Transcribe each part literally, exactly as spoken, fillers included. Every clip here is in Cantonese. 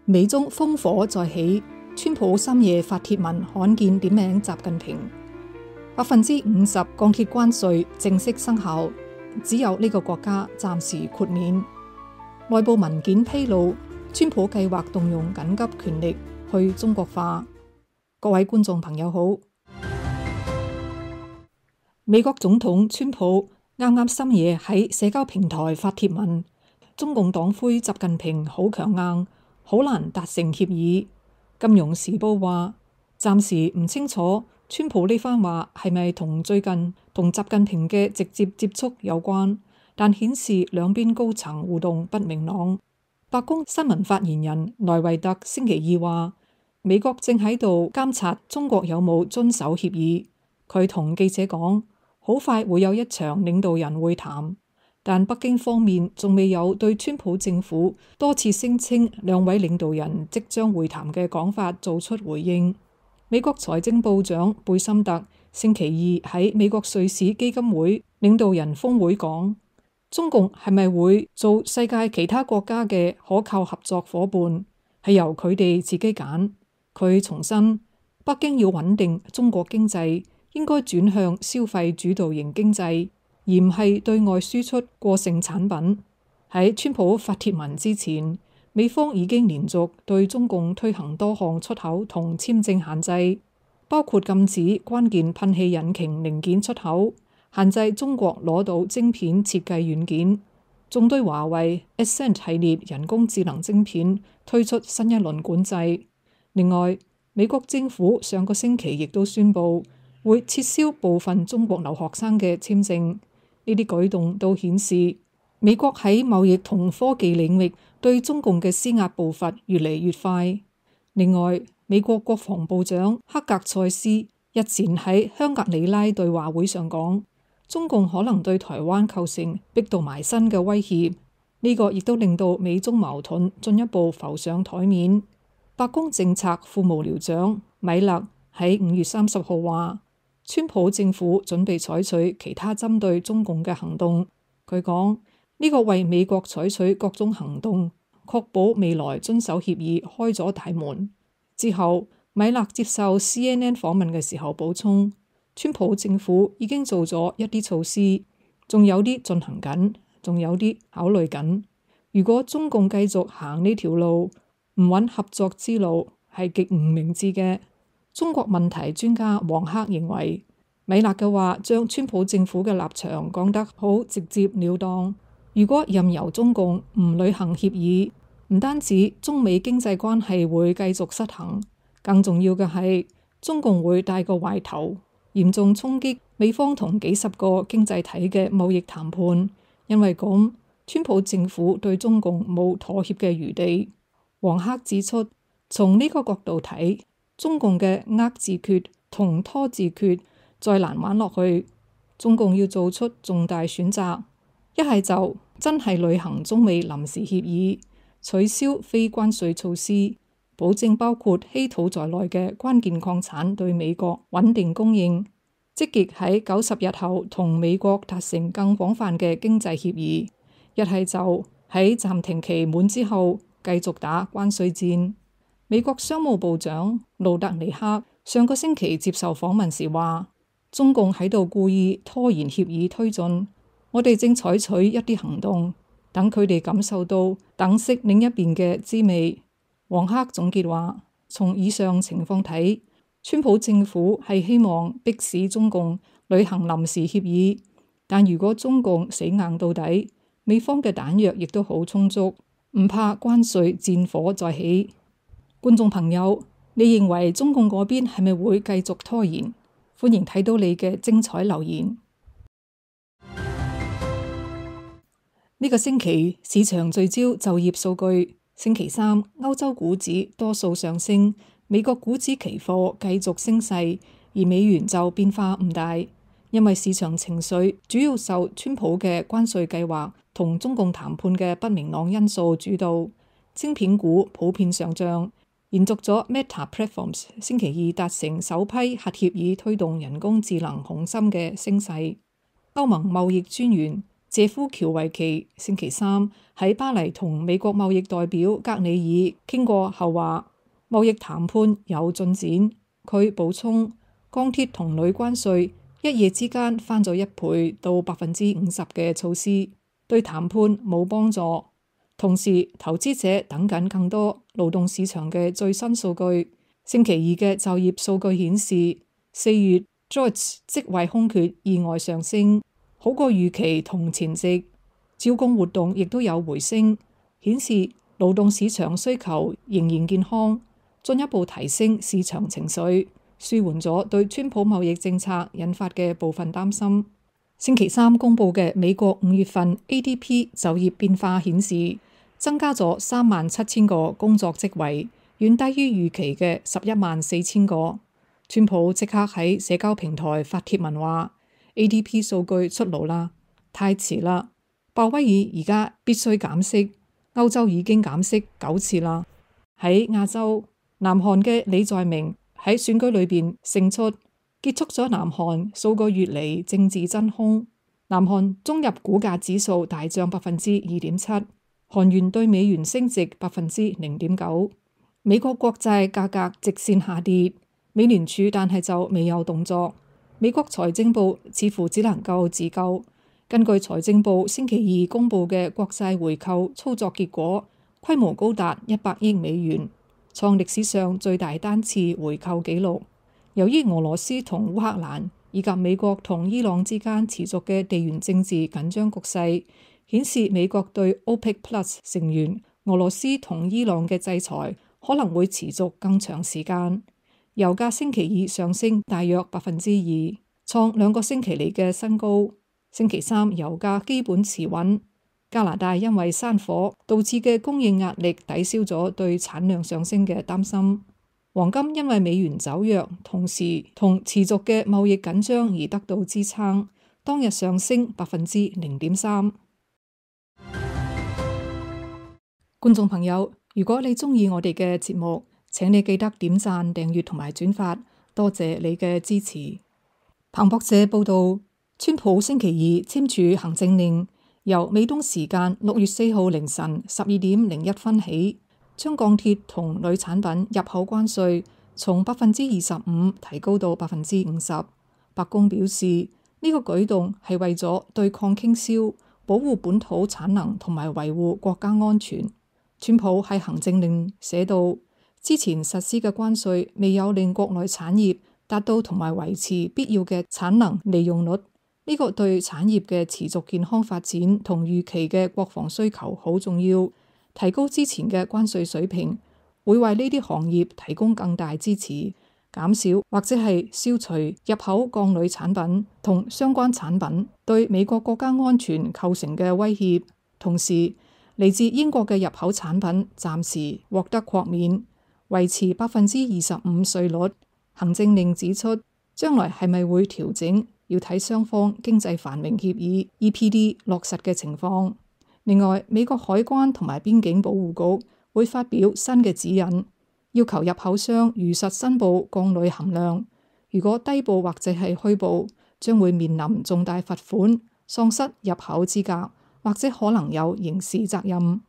美中烽火再起，川普深夜發帖文罕見點名習近平，百分之五十鋼鐵關稅正式生效，只有呢個國家暫時豁免。內部文件披露，川普計劃動用緊急權力去中國化。各位觀眾朋友好，美國總統川普啱啱深夜喺社交平台發帖文，中共黨魁習近平好強硬，好難達成協議。金融時報話，暫時唔清楚川普呢番話係咪同最近同習近平嘅直接接觸有關，但顯示兩邊高層互動不明朗。白宮新聞發言人萊維特星期二話，美國正喺度監察中國有冇遵守協議。佢同記者講，好快會有一場領導人會談。但北京方面仲未有對川普政府多次聲稱兩位領導人即將會談嘅講法做出回應。美國財政部長貝森特星期二喺美國瑞士基金會領導人峰會講，中共係咪會做世界其他國家嘅可靠合作夥伴，係由佢哋自己揀。佢重申，北京要穩定中國經濟，應該轉向消費主導型經濟，而唔係對外輸出過剩產品。喺川普發帖文之前，美方已經連續對中共推行多項出口同簽證限制，包括禁止關鍵噴氣引擎零件出口，限制中國攞到晶片設計軟件，仲對華為 Ascend 系列人工智能晶片推出新一輪管制。另外，美國政府上個星期亦都宣布會撤銷部分中國留學生嘅簽證。呢啲舉動都顯示美國喺貿易同科技領域對中共嘅施壓步伐越嚟越快。另外，美國國防部長克格塞斯日前喺香格里拉對話會上講，中共可能對台灣構成逼到埋身嘅威脅。呢個亦都令到美中矛盾進一步浮上台面。白宮政策副幕僚長米勒喺五月三十號話，川普政府準備採取其他針對中共嘅行動。佢講，呢個為美國採取各種行動，確保未來遵守協議開咗大門。之後，米勒接受 C N N 訪問嘅時候補充，川普政府已經做咗一啲措施，仲有啲進行緊，仲有啲考慮緊。如果中共繼續行呢條路，唔揾合作之路，係極唔明智嘅。中國問題專家王克認為，米勒嘅話將川普政府嘅立場講得好直接了當。如果任由中共唔履行協議，唔單止中美經濟關係會繼續失衡，更重要嘅係中共會帶個壞頭，嚴重衝擊美方同幾十個經濟體嘅貿易談判。因為咁，川普政府對中共冇妥協嘅餘地。王克指出，從呢個角度睇，中共嘅遏自決同拖自決再難玩落去，中共要做出重大選擇，一係就真係履行中美臨時協議，取消非關稅措施，保證包括稀土在內嘅關鍵礦產對美國穩定供應，積極喺九十日後同美國達成更廣泛嘅經濟協議，一係就喺暫停期滿之後繼續打關稅戰。美國商務部長盧特尼克上個星期接受訪問時話，中共喺度故意拖延協議推進，我哋正採取一啲行動，等佢哋感受到等式另一邊嘅滋味。王克總結話，從以上情況睇，川普政府係希望迫使中共履行臨時協議，但如果中共死硬到底，美方嘅彈藥亦都好充足，唔怕關稅戰火再起。觀眾朋友，你認為中共嗰邊係咪會繼續拖延？歡迎睇到你嘅精彩留言。呢個星期市場聚焦就業數據。星期三，歐洲股指多數上升，美國股指期貨繼續升勢，而美元就變化唔大，因為市場情緒主要受川普嘅關稅計劃同中共談判嘅不明朗因素主導。晶片股普遍上漲，延續咗 Meta Platforms 星期二達成首批核協議推動人工智能雄心嘅升勢。歐盟貿易專員謝夫喬維奇星期三喺巴黎同美國貿易代表格里爾傾過後話，貿易談判有進展。佢補充，鋼鐵同鋁關稅一夜之間翻咗一倍到百分之五十嘅措施，對談判冇幫助。同時，投資者等緊更多勞動市場嘅最新數據。星期二嘅就業數據顯示，四月 jobs 職位空缺意外上升，好過預期同前夕。招工活動亦都有回升，顯示勞動市場需求仍然健康，進一步提升市場情緒，舒緩咗對川普貿易政策引發嘅部分擔心。星期三公佈嘅美國五月份 A D P 就業變化顯示，增加咗三萬七千個工作職位，遠低於預期嘅十一萬四千個。川普即刻喺社交平台發帖文話 A D P 數據出爐啦，太遲啦！鮑威爾而家必須減息，歐洲已經減息九次啦。喺亞洲，南韓嘅李在明喺選舉裏邊勝出，結束咗南韓數個月嚟政治真空。南韓中入股價指數大漲百分之二點七，韓元對美元升值百分之零點九。美國國債價格直線下跌，美聯儲但係就未有動作。美國財政部似乎只能夠自救。根據財政部星期二公佈嘅國債回購操作結果，規模高達一百億美元，創歷史上最大單次回購紀錄。由於俄羅斯同烏克蘭以及美國同伊朗之間持續嘅地緣政治緊張局勢，顯示美國對 OPEC Plus 成員俄羅斯同伊朗嘅制裁可能會持續更長時間。油價星期二上升大約百分之二，創兩個星期嚟嘅新高。星期三油價基本持穩。加拿大因為山火導致嘅供應壓力抵消咗對產量上升嘅擔心。黃金因為美元走弱，同時同持續嘅貿易緊張而得到支撐，當日上升百分之零點三。觀眾朋友，如果你鍾意我哋嘅節目，請你記得點讚、訂閱同埋轉發，多謝你嘅支持。彭博社報道，川普星期二簽署行政令，由美東時間六月四號凌晨十二點零一分起，將鋼鐵同鋁產品入口關稅從百分之二十五提高到百分之五十。白宮表示，呢個舉動係為咗對抗傾銷、保護本土產能同埋維護國家安全。川普喺行政令寫到，之前實施嘅關稅未有令國內產業達到同埋維持必要嘅產能利用率，呢個對產業嘅持續健康發展同預期嘅國防需求好重要。提高之前嘅關稅水平，會為呢啲行業提供更大支持，減少或者係消除入口鋼鋁產品同相關產品對美國國家安全構成嘅威脅。同時，嚟自英國嘅入口產品暫時獲得豁免，維持百分之二十五稅率。行政令指出，將來係咪會調整，要睇雙方經濟繁榮協議 E P D 落實嘅情況。另外，美國海關同埋邊境保護局會發表新嘅指引，要求入口商如實申報鋼鋁含量，如果低報或者係虛報，將會面臨重大罰款、喪失入口資格，或者可能有刑事責任。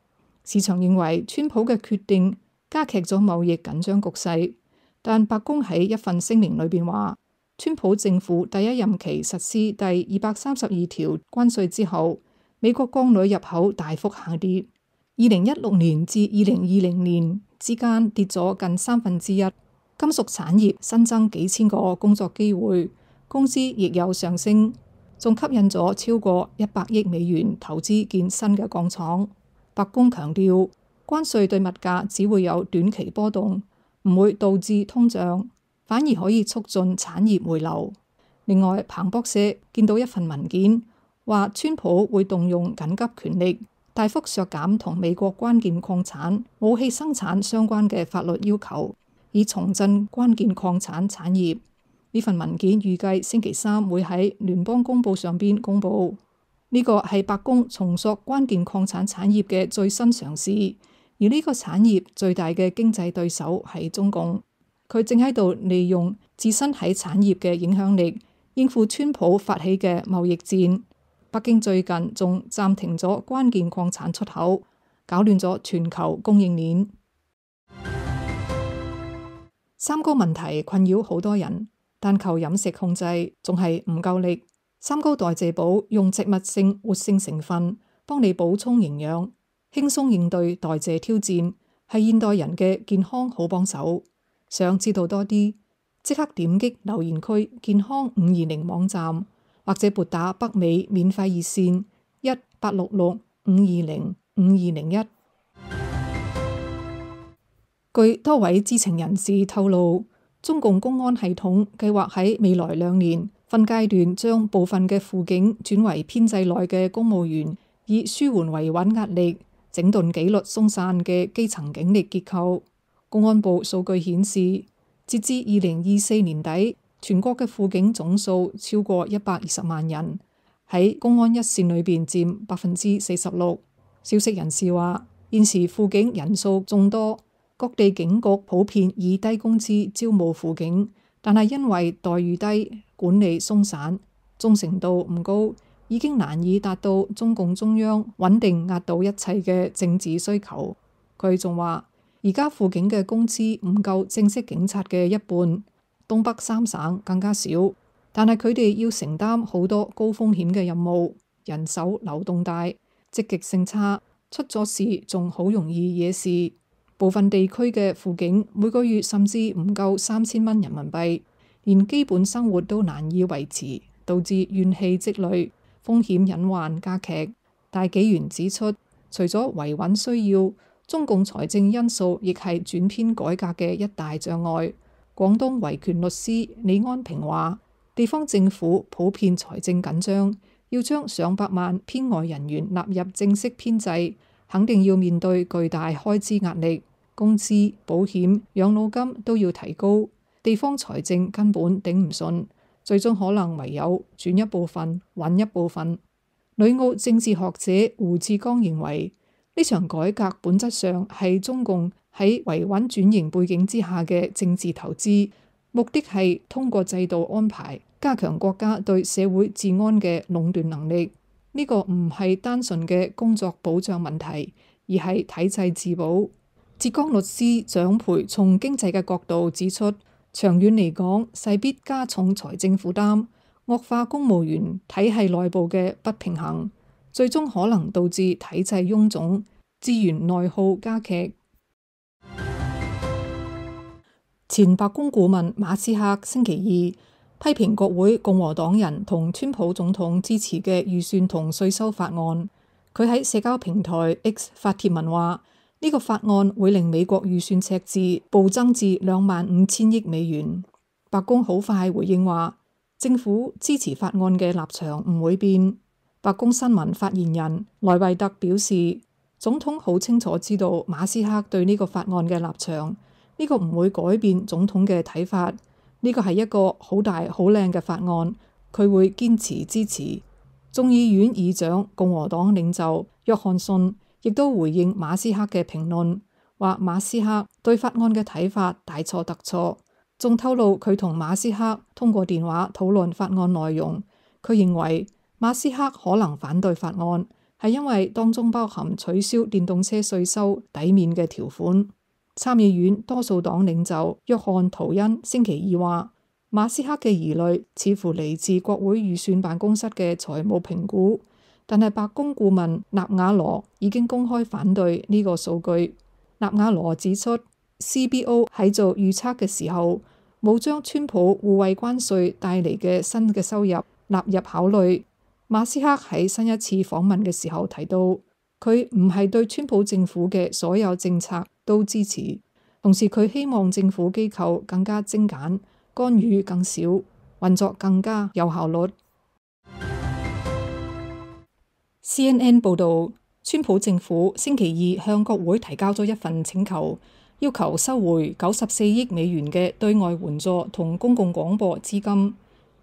市場認為川普嘅決定加劇咗貿易緊張局勢，但白宮喺一份聲明裏邊話，川普政府第一任期實施第二百三十二條關稅之後，美國鋼鋁入口大幅下跌，二零一六年至二零二零年之間跌咗近三分之一。金屬產業新增幾千個工作機會，工資亦有上升，仲吸引咗超過一百億美元投資建新嘅鋼廠。白宮強調，關稅對物價只會有短期波動，唔會導致通脹，反而可以促進產業回流。另外，彭博社見到一份文件，話川普會動用緊急權力，大幅削減同美國關鍵礦產、武器生產相關嘅法律要求，以重振關鍵礦產產業。呢份文件預計星期三會喺聯邦公報上邊公佈。呢個係白宮重塑關鍵礦產產業嘅最新嘗試，而呢個產業最大嘅經濟對手係中共，佢正喺度利用自身喺產業嘅影響力，應付川普發起嘅貿易戰。北京最近仲暫停咗關鍵礦產出口，搞亂咗全球供應鏈。三高問題困擾好多人，但靠飲食控制仲係唔夠力。三高代謝寶用植物性活性成分幫你補充營養，輕鬆應對代謝挑戰，係現代人嘅健康好幫手。想知道多啲，即刻點擊留言區健康五二零網站，或者撥打北美免費熱線一八六六五二零五二零一。據多位知情人士透露，中共公安系統計劃喺未來兩年分階段將部分嘅輔警轉為編制內嘅公務員，以舒緩維穩壓力、整頓紀律鬆散嘅基層警力結構。公安部數據顯示，截至二零二四年底，全國嘅輔警總數超過一百二十萬人，喺公安一線裏邊佔百分之四十六。消息人士話，現時輔警人數眾多，各地警局普遍以低工資招募輔警，但係因為待遇低、管理鬆散、忠誠度唔高，已經難以達到中共中央穩定壓倒一切嘅政治需求。佢仲話，而家輔警嘅工資唔夠正式警察嘅一半，東北三省更加少，但係佢哋要承擔好多高風險嘅任務，人手流動大，積極性差，出咗事仲好容易惹事。部分地區嘅輔警每個月甚至唔夠三千蚊人民幣，連基本生活都難以維持，導致怨氣積累，風險隱患加劇。大紀元指出，除咗維穩需要，中共財政因素亦係轉編改革嘅一大障礙。廣東維權律師李安平話，地方政府普遍財政緊張，要將上百萬編外人員納入正式編制，肯定要面對巨大開支壓力，工資、保險、養老金都要提高，地方財政根本頂唔順，最終可能唯有轉一部分，揾一部分。旅澳政治學者胡志剛認為，呢場改革本質上係中共喺維穩轉型背景之下嘅政治投資，目的係通過制度安排加強國家對社會治安嘅壟斷能力。呢個唔係單純嘅工作保障問題，而係體制自保。浙江律師蔣培從經濟嘅角度指出，長遠嚟講，勢必加重財政負擔，惡化公務員體系內部嘅不平衡，最終可能導致體制臃腫，資源內耗加劇。前白宮顧問馬斯克星期二批評國會共和黨人同川普總統支持嘅預算同稅收法案。佢喺社交平台 X 發帖文話，呢個法案會令美國預算赤字暴增至兩萬五千億美元。白宮好快回應話，政府支持法案嘅立場唔會變。白宮新聞發言人萊維特表示，總統好清楚知道馬斯克對呢個法案嘅立場，呢個唔會改變總統嘅睇法。呢個係一個好大好靚嘅法案，佢會堅持支持。眾議院議長共和黨領袖約翰遜亦都回應馬斯克嘅評論，話馬斯克對法案嘅睇法大錯特錯，仲透露佢同馬斯克通過電話討論法案內容。佢認為馬斯克可能反對法案，係因為當中包含取消電動車稅收抵免嘅條款。參議院多數黨領袖約翰圖恩星期二話，馬斯克嘅疑慮似乎嚟自國會預算辦公室嘅財務評估，但係白宮顧問納瓦羅已經公開反對呢個數據。納瓦羅指出 C B O 喺做預測嘅時候冇將川普互惠關稅帶嚟嘅新嘅收入納入考慮。馬斯克喺新一次訪問嘅時候提到，佢唔係對川普政府嘅所有政策都支持，同時佢希望政府機構更加精簡，干預更少，運作更加有效率。C N N 報導，川普政府星期二向國會提交咗一份請求，要求收回九十四億美元嘅對外援助同公共廣播資金。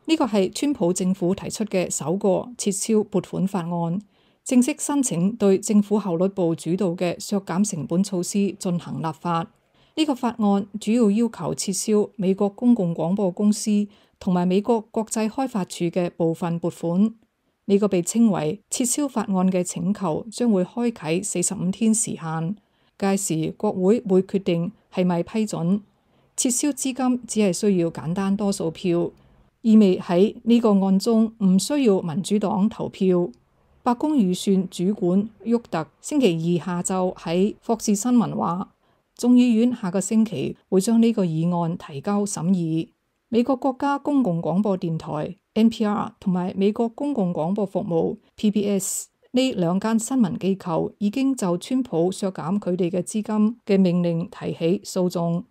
呢個係川普政府提出嘅首個撤銷撥款法案，正式申請對政府效率部主導嘅削減成本措施進行立法。呢個法案主要要求撤銷美國公共廣播公司同埋美國國際開發署嘅部分撥款。呢個被稱為撤銷法案嘅請求將會開啟四十五天時限，屆時國會會決定係咪批准。撤銷資金只係需要簡單多數票，意味喺呢個案中唔需要民主黨投票。白宮預算主管沃特星期二下晝喺霍士新聞話，眾議院下個星期會將呢個議案提交審議。美國國家公共廣播電台 N P R 同埋美國公共廣播服務 P B S 呢兩間新聞機構已經就川普削減佢哋嘅資金嘅命令提起訴訟。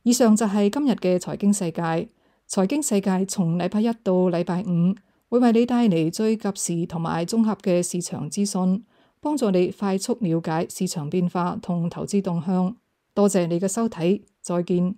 以上就係今日嘅財經世界。財經世界從禮拜一到禮拜五會為你帶嚟最及時同埋綜合嘅市場資訊，幫助你快速了解市場變化同投資動向。多謝你嘅收睇，再見。